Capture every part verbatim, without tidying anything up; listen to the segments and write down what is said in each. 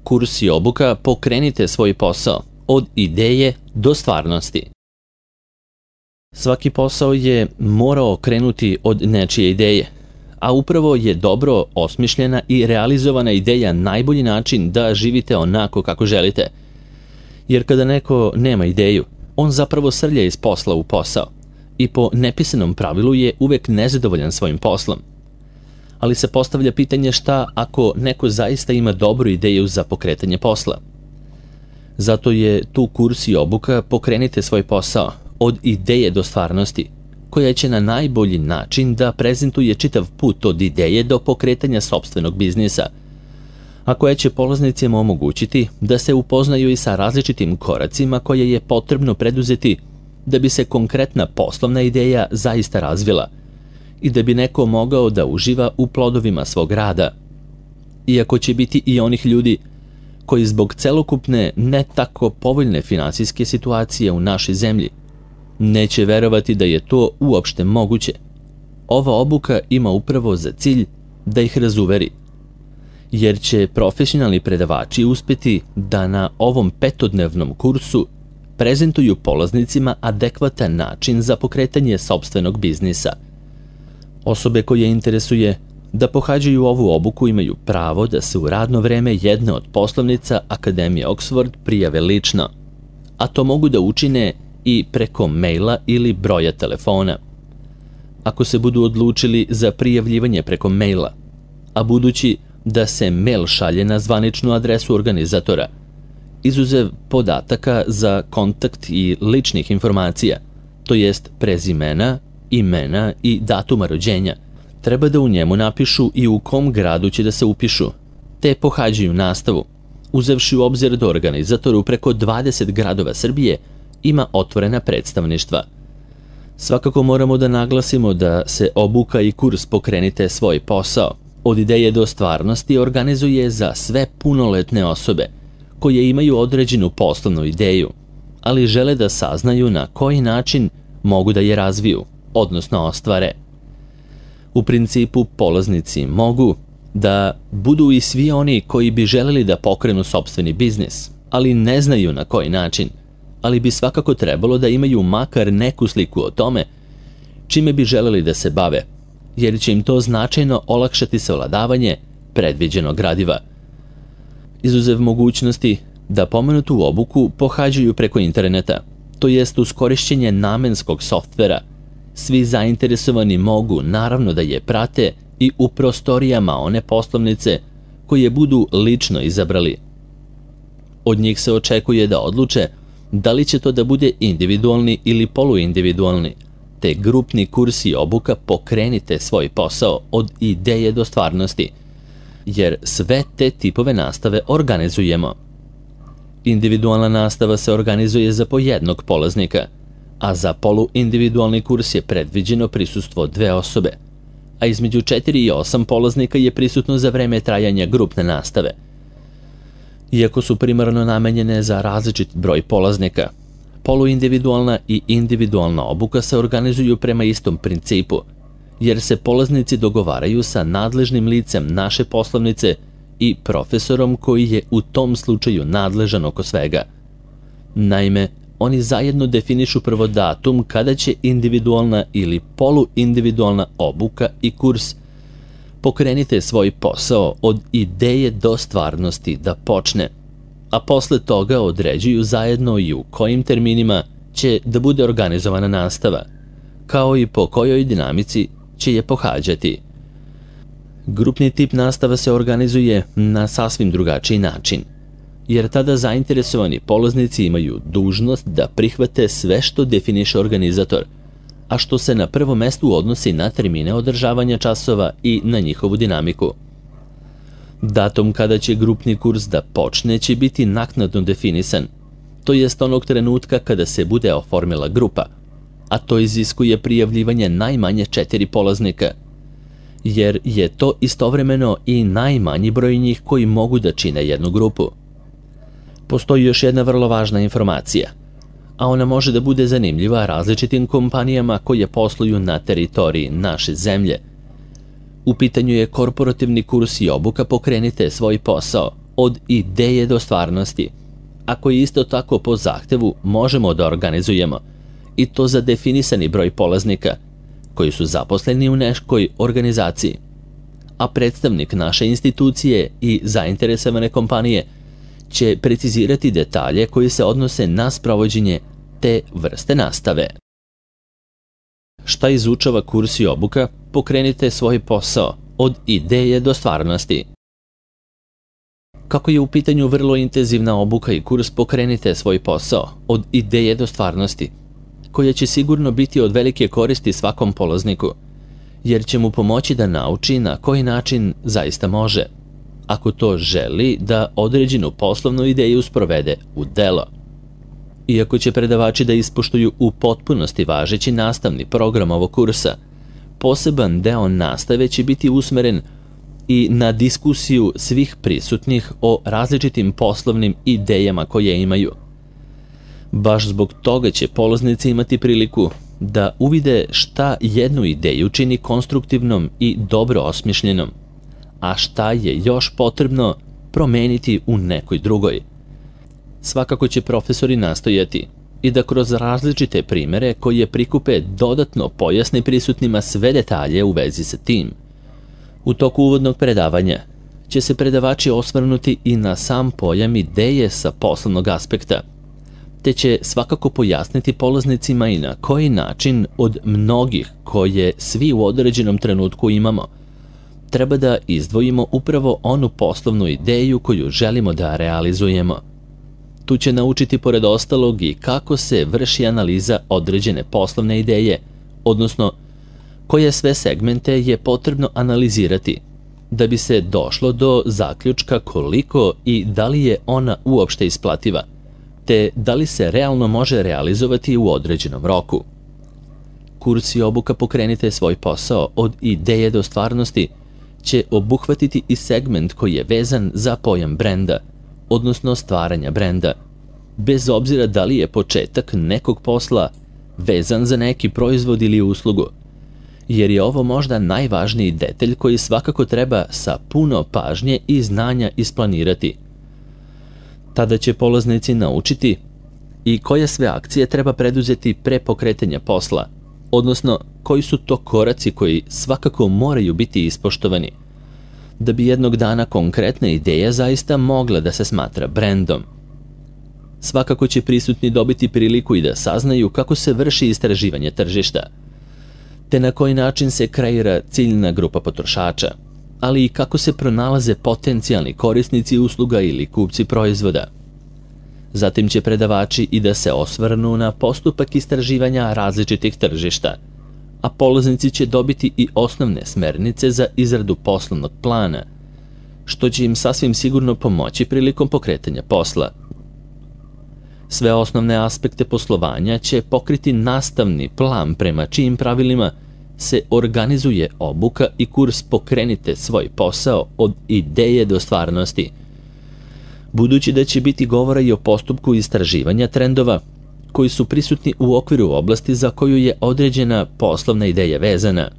Kurs i obuka Pokrenite svoj posao, od ideje do stvarnosti. Svaki posao je morao krenuti od nečije ideje, a upravo je dobro osmišljena i realizovana ideja najbolji način da živite onako kako želite. Jer kada neko nema ideju, on zapravo srlja iz posla u posao i po nepisanom pravilu je uvek nezadovoljan svojim poslom. Ali se postavlja pitanje šta ako neko zaista ima dobru ideju za pokretanje posla. Zato je tu kurs i obuka Pokrenite svoj posao, od ideje do stvarnosti, koja će na najbolji način da prezentuje čitav put od ideje do pokretanja sopstvenog biznisa, a koja će polaznicima omogućiti da se upoznaju i sa različitim koracima koje je potrebno preduzeti da bi se konkretna poslovna ideja zaista razvila i da bi neko mogao da uživa u plodovima svog rada. Iako će biti i onih ljudi koji zbog celokupne ne tako povoljne finansijske situacije u našoj zemlji neće verovati da je to uopšte moguće. Ova obuka ima upravo za cilj da ih razuveri, jer će profesionalni predavači uspeti da na ovom petodnevnom kursu prezentuju polaznicima adekvatan način za pokretanje sopstvenog biznisa. Osobe koje interesuje da pohađaju ovu obuku imaju pravo da se u radno vreme jedne od poslovnica Akademije Oxford prijave lično, a to mogu da učine i preko maila ili broja telefona. Ako se budu odlučili za prijavljivanje preko maila, a budući da se mail šalje na zvaničnu adresu organizatora, izuzev podataka za kontakt i ličnih informacija, to jest prezimena, imena i datuma rođenja, treba da u njemu napišu i u kom gradu će da se upišu, te pohađaju nastavu, uzevši u obzir da organizatoru preko dvadeset gradova Srbije ima otvorena predstavništva. Svakako moramo da naglasimo da se obuka i kurs Pokrenite svoj posao, od ideje do stvarnosti, organizuje za sve punoletne osobe koje imaju određenu poslovnu ideju, ali žele da saznaju na koji način mogu da je razviju, odnosno ostvare. U principu polaznici mogu da budu i svi oni koji bi želeli da pokrenu sopstveni biznis, ali ne znaju na koji način, ali bi svakako trebalo da imaju makar neku sliku o tome čime bi želeli da se bave, jer će im to značajno olakšati savladavanje predviđenog gradiva. Izuzev mogućnosti da pomenutu obuku pohađaju preko interneta, to jest uz korišćenje namenskog softvera, svi zainteresovani mogu naravno da je prate i u prostorijama one poslovnice koje budu lično izabrali. Od njih se očekuje da odluče da li će to da bude individualni ili poluindividualni, te grupni kurs i obuka Pokrenite svoj posao, od ideje do stvarnosti, jer sve te tipove nastave organizujemo. Individualna nastava se organizuje za po jednog polaznika, a za poluindividualni kurs je predviđeno prisustvo dve osobe, a između četiri i osam polaznika je prisutno za vreme trajanja grupne nastave. Iako su primarno namenjene za različit broj polaznika, poluindividualna i individualna obuka se organizuju prema istom principu, jer se polaznici dogovaraju sa nadležnim licem naše poslovnice i profesorom koji je u tom slučaju nadležan oko svega. Naime, oni zajedno definišu prvo datum kada će individualna ili poluindividualna obuka i kurs Pokrenite svoj posao, od ideje do stvarnosti da počne, a posle toga određuju zajedno i u kojim terminima će da bude organizovana nastava, kao i po kojoj dinamici će je pohađati. Grupni tip nastava se organizuje na sasvim drugačiji način, jer tada zainteresovani polaznici imaju dužnost da prihvate sve što definiše organizator, a što se na prvo mestu odnosi na termine održavanja časova i na njihovu dinamiku. Datum kada će grupni kurs da počne će biti naknadno definisan, to jest onog trenutka kada se bude oformila grupa, a to iziskuje prijavljivanje najmanje četiri polaznika, jer je to istovremeno i najmanji broj njih koji mogu da čine jednu grupu. Postoji još jedna vrlo važna informacija, a ona može da bude zanimljiva različitim kompanijama koje posluju na teritoriji naše zemlje. U pitanju je korporativni kurs i obuka Pokrenite svoj posao, od ideje do stvarnosti, a koji isto tako po zahtevu možemo da organizujemo, i to za definisani broj polaznika koji su zaposleni u nekoj organizaciji, a predstavnik naše institucije i zainteresovane kompanije će precizirati detalje koji se odnose na sprovođenje te vrste nastave. Šta izučava kurs i obuka Pokrenite svoj posao od ideje do stvarnosti? Kako je u pitanju vrlo intenzivna obuka i kurs Pokrenite svoj posao od ideje do stvarnosti, koja će sigurno biti od velike koristi svakom polazniku, jer će mu pomoći da nauči na koji način zaista može, ako to želi, da određenu poslovnu ideju sprovede u delo. Iako će predavači da ispoštuju u potpunosti važeći nastavni program ovog kursa, poseban deo nastave će biti usmeren i na diskusiju svih prisutnih o različitim poslovnim idejama koje imaju. Baš zbog toga će polaznici imati priliku da uvide šta jednu ideju čini konstruktivnom i dobro osmišljenom, a šta je još potrebno promeniti u nekoj drugoj. Svakako će profesori nastojati i da kroz različite primere koje prikupe dodatno pojasne prisutnima sve detalje u vezi sa tim. U toku uvodnog predavanja će se predavači osvrnuti i na sam pojam ideje sa poslovnog aspekta, te će svakako pojasniti polaznicima i na koji način od mnogih koje svi u određenom trenutku imamo, treba da izdvojimo upravo onu poslovnu ideju koju želimo da realizujemo. Tu će naučiti pored ostalog i kako se vrši analiza određene poslovne ideje, odnosno koje sve segmente je potrebno analizirati da bi se došlo do zaključka koliko i da li je ona uopšte isplativa, te da li se realno može realizovati u određenom roku. Kurs i obuka Pokrenite svoj posao od ideje do stvarnosti će obuhvatiti i segment koji je vezan za pojam brenda, odnosno stvaranja brenda, bez obzira da li je početak nekog posla vezan za neki proizvod ili uslugu, jer je ovo možda najvažniji detalj koji svakako treba sa puno pažnje i znanja isplanirati. Tada će polaznici naučiti i koje sve akcije treba preduzeti pre pokretanja posla, odnosno koji su to koraci koji svakako moraju biti ispoštovani, da bi jednog dana konkretna ideja zaista mogla da se smatra brendom. Svakako će prisutni dobiti priliku i da saznaju kako se vrši istraživanje tržišta, te na koji način se kreira ciljna grupa potrošača, ali i kako se pronalaze potencijalni korisnici usluga ili kupci proizvoda. Zatim će predavači i da se osvrnu na postupak istraživanja različitih tržišta, a polaznici će dobiti i osnovne smernice za izradu poslovnog plana, što će im sasvim sigurno pomoći prilikom pokretanja posla. Sve osnovne aspekte poslovanja će pokriti nastavni plan prema čijim pravilima se organizuje obuka i kurs Pokrenite svoj posao od ideje do stvarnosti. Budući da će biti govora i o postupku istraživanja trendova koji su prisutni u okviru oblasti za koju je određena poslovna ideja vezana,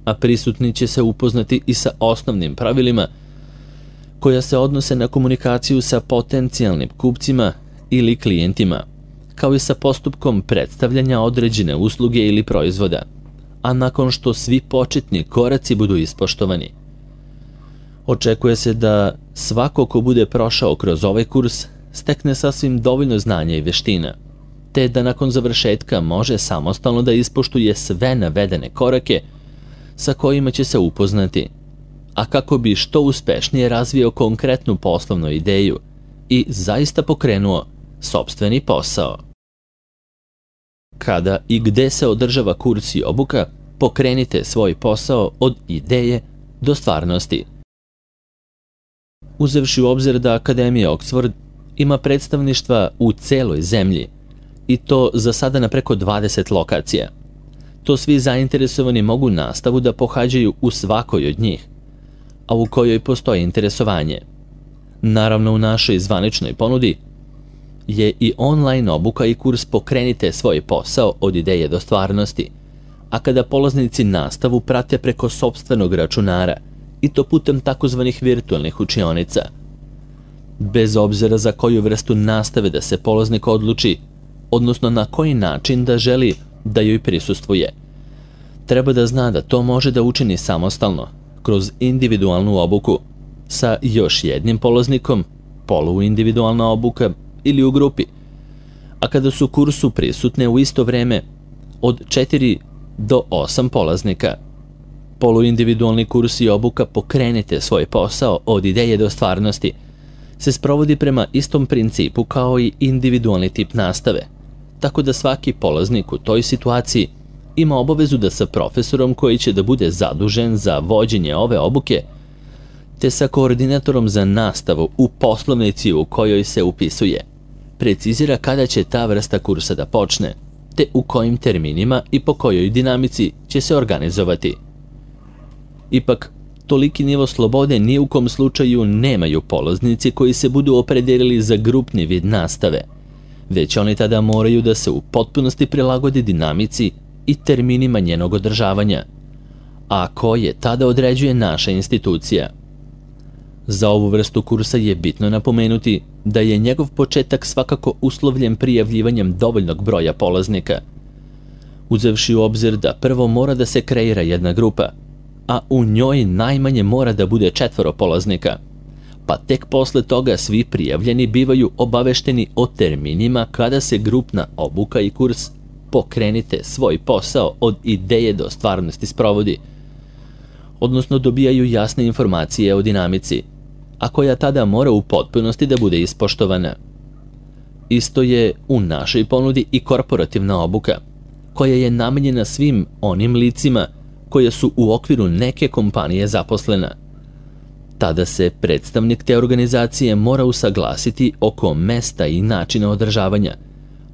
a prisutni će se upoznati i sa osnovnim pravilima koja se odnose na komunikaciju sa potencijalnim kupcima ili klijentima, kao i sa postupkom predstavljanja određene usluge ili proizvoda, a nakon što svi početni koraci budu ispoštovani. Očekuje se da svako ko bude prošao kroz ovaj kurs stekne sasvim dovoljno znanja i veština, te da nakon završetka može samostalno da ispoštuje sve navedene korake sa kojima će se upoznati, a kako bi što uspešnije razvio konkretnu poslovnu ideju i zaista pokrenuo sopstveni posao. Kada i gde se održava kurs i obuka Pokrenite svoj posao od ideje do stvarnosti? Uzevši u obzir da Akademija Oxford ima predstavništva u celoj zemlji, i to za sada na preko dvadeset lokacija, to svi zainteresovani mogu nastavu da pohađaju u svakoj od njih, a u kojoj postoji interesovanje. Naravno, u našoj zvaničnoj ponudi je i online obuka i kurs Pokrenite svoj posao od ideje do stvarnosti, a kada polaznici nastavu prate preko sopstvenog računara, i to putem takozvanih virtualnih učionica, bez obzira za koju vrstu nastave da se polaznik odluči, odnosno na koji način da želi da joj prisustvuje. Treba da zna da to može da učini samostalno, kroz individualnu obuku, sa još jednim polaznikom, poluindividualna obuka ili u grupi. A kada su kursu prisutne u isto vreme od četiri do osam polaznika, poluindividualni kurs i obuka Pokrenite svoj posao od ideje do stvarnosti se sprovodi prema istom principu kao i individualni tip nastave, tako da svaki polaznik u toj situaciji ima obavezu da sa profesorom koji će da bude zadužen za vođenje ove obuke, te sa koordinatorom za nastavu u poslovnici u kojoj se upisuje, precizira kada će ta vrsta kursa da počne, te u kojim terminima i po kojoj dinamici će se organizovati. Ipak, toliki nivo slobode ni u kom slučaju nemaju polaznici koji se budu opredelili za grupni vid nastave, već oni tada moraju da se u potpunosti prilagode dinamici i terminima njenog održavanja, a koje tada određuje naša institucija. Za ovu vrstu kursa je bitno napomenuti da je njegov početak svakako uslovljen prijavljivanjem dovoljnog broja polaznika, uzevši u obzir da prvo mora da se kreira jedna grupa, a u njoj najmanje mora da bude četvoro polaznika, pa tek posle toga svi prijavljeni bivaju obavešteni o terminima kada se grupna obuka i kurs Pokrenite svoj posao od ideje do stvarnosti sprovodi, odnosno dobijaju jasne informacije o dinamici, a koja tada mora u potpunosti da bude ispoštovana. Isto je u našoj ponudi i korporativna obuka, koja je namenjena svim onim licima koja su u okviru neke kompanije zaposlena. Tada se predstavnik te organizacije mora usaglasiti oko mesta i načina održavanja,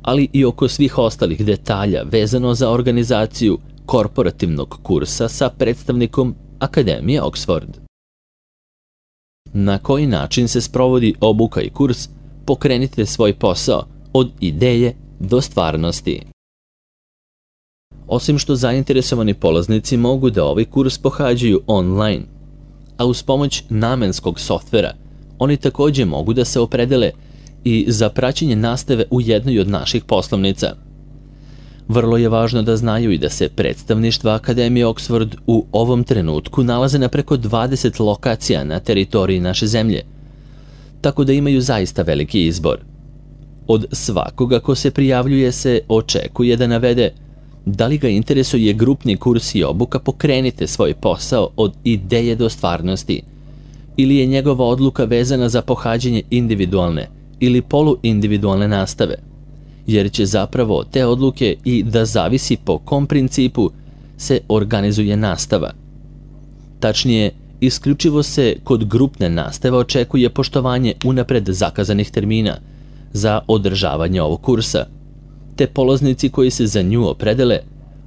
ali i oko svih ostalih detalja vezano za organizaciju korporativnog kursa sa predstavnikom Akademije Oxford. Na koji način se sprovodi obuka i kurs Pokrenite svoj posao od ideje do stvarnosti? Osim što zainteresovani polaznici mogu da ovaj kurs pohađaju online, a uz pomoć namenskog softvera, oni takođe mogu da se opredele i za praćenje nastave u jednoj od naših poslovnica. Vrlo je važno da znaju i da se predstavništva Akademije Oxford u ovom trenutku nalaze na preko dvadeset lokacija na teritoriji naše zemlje, tako da imaju zaista veliki izbor. Od svakoga ko se prijavljuje se očekuje da navede da li ga interesuje grupni kurs i obuka Pokrenite svoj posao od ideje do stvarnosti, ili je njegova odluka vezana za pohađanje individualne ili poluindividualne nastave, jer će zapravo od te odluke i da zavisi po kom principu se organizuje nastava. Tačnije, isključivo se kod grupne nastave očekuje poštovanje unapred zakazanih termina za održavanje ovog kursa, te polaznici koji se za nju opredele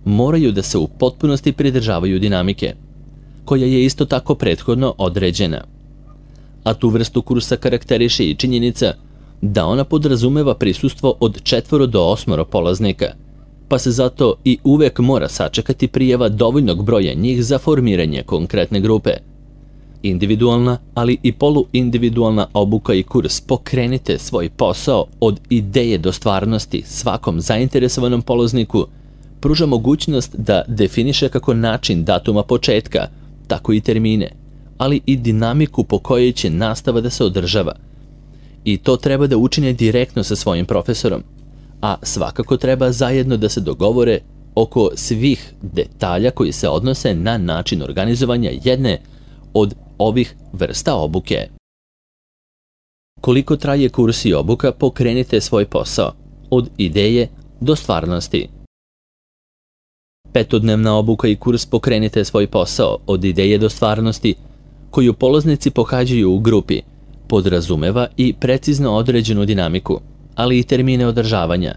moraju da se u potpunosti pridržavaju dinamike, koja je isto tako prethodno određena. A tu vrstu kursa karakteriše i činjenica da ona podrazumeva prisustvo od četvoro do osmoro polaznika, pa se zato i uvek mora sačekati prijava dovoljnog broja njih za formiranje konkretne grupe. Individualna, ali i poluindividualna obuka i kurs Pokrenite svoj posao od ideje do stvarnosti svakom zainteresovanom polazniku pruža mogućnost da definiše kako način datuma početka, tako i termine, ali i dinamiku po kojoj će nastava da se održava. I to treba da učine direktno sa svojim profesorom, a svakako treba zajedno da se dogovore oko svih detalja koji se odnose na način organizovanja jedne od ovih vrsta obuke. Koliko traje kurs i obuka Pokrenite svoj posao od ideje do stvarnosti? Petodnevna obuka i kurs Pokrenite svoj posao od ideje do stvarnosti, koju polaznici pohađaju u grupi, podrazumeva i precizno određenu dinamiku, ali i termine održavanja,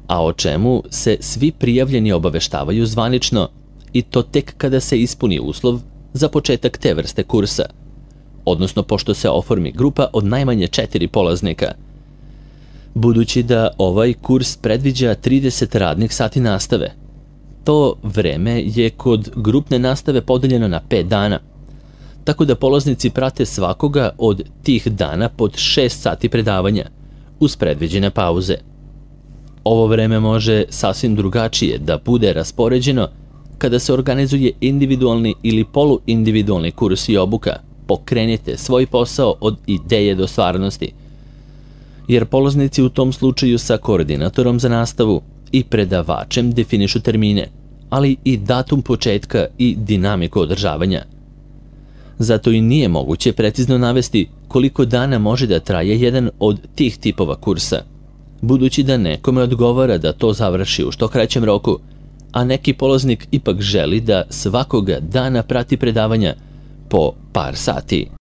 a o čemu se svi prijavljeni obaveštavaju zvanično i to tek kada se ispuni uslov za početak te vrste kursa, odnosno pošto se oformi grupa od najmanje četiri polaznika. Budući da ovaj kurs predviđa trideset radnih sati nastave, to vreme je kod grupne nastave podeljeno na pet dana, tako da polaznici prate svakoga od tih dana pod šest sati predavanja, uz predviđene pauze. Ovo vreme može sasvim drugačije da bude raspoređeno kada se organizuje individualni ili poluindividualni kurs i obuka. Pokrenite svoj posao od ideje do stvarnosti, jer polaznici u tom slučaju sa koordinatorom za nastavu i predavačem definišu termine, ali i datum početka i dinamiku održavanja. Zato i nije moguće precizno navesti koliko dana može da traje jedan od tih tipova kursa, budući da nekome odgovara da to završi u što kraćem roku, a neki polaznik ipak želi da svakoga dana prati predavanja po par sati.